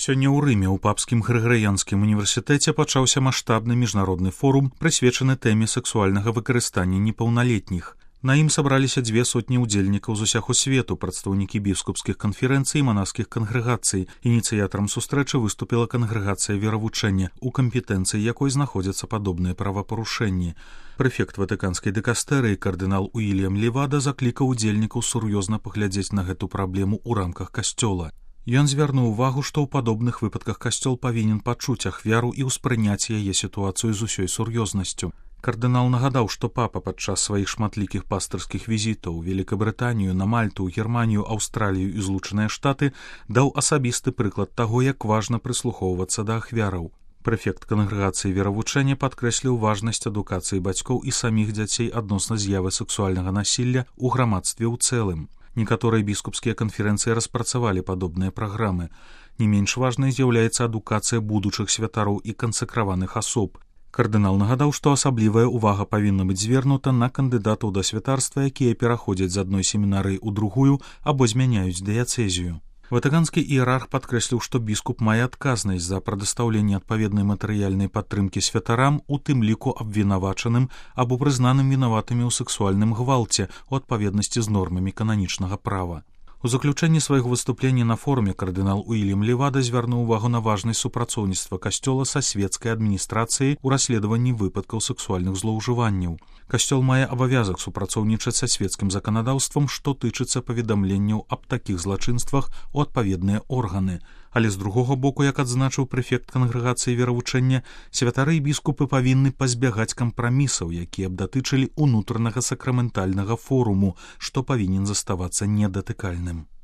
Сёння ў Рыме ў папскім Грыгарыянскім універсітэце пачаўся маштабны міжнародны форум, прысвечаны тэме сексуальнага выкарыстання непаўналетніх. На ім сабраліся 200 удзельнікаў з усяго свету, прадстаўнікі біскупскіх канферэнцый і манаскіх кангрэгацый. Ініцыятарам сустрэчы выступіла кангрэгацыя веравучэння, у кампетэнцыі якой знаходзяцца падобныя правапарушэнні. Прэфект ватыканскай дыкастэрыі кардынал Уільям Левада заклікаў удзельнікаў сур'ёзна паглядзець на гэту праблему ў рамках касцёла. Ён звярнуў увагу, што ў падобных выпадках касцёл павінен пачуць ахвяру і ўспрыняць яе сітуацыю з усёй сур'ёзнасцю. Кардынал нагадаў, што папа падчас сваіх шматлікіх пастырскіх візітаў у Великабрытанію, на Мальту, Германію, Аўстралію і Злучаныя Штаты даў асабісты прыклад таго, як важна прыслухоўвацца да ахвяраў. Прэфект кангрэгацыі веравучэння падкрэсліў важнасць адукацыі бацькоў і саміх дзяцей адносна з'явы сексуальнага насілля ў грамадстве ў цэлым. Некаторыя біскупскія канферэнцыі распрацавалі падобныя праграмы. Не менш важнай з'яўляецца адукацыя будучых святароў і кансакраваных асоб. Кардынал нагадаў, што асаблівая ўвага павінна быць звернута на кандыдатаў да святарства, якія пераходзяць з адной семінарыі ў другую або змяняюць дыяцэзію. Ватыканскі іерарх падкрэсліў, што біскуп мае адказнасць за прадастаўленне адпаведнай матэрыяльнай падтрымкі святарам, у тым ліку абвінавачаным або прызнаным вінаватымі ў сексуальным гвалце у адпаведнасці з нормамі кананічнага права. У заключэнні свайго выступлення на форуме кардынал Уільям Левада звярнуў увагу на важнасць супрацоўніцтва касцёла са свецкай адміністрацыяй у расследаванні выпадкаў сексуальных злоўжыванняў. Касцёл мае абавязак супрацоўнічаць са свецкім заканадаўствам, што тычыцца паведамленняў аб такіх злачынствах у адпаведныя органы. Але з другога боку, як адзначыў прэфект кангрэгацыі веравучэння, святары і біскупы павінны пазбягаць кампрамісаў, якія б датычылі ўнутранага сакраментальнага форуму, што павінен заставацца недатыкальным.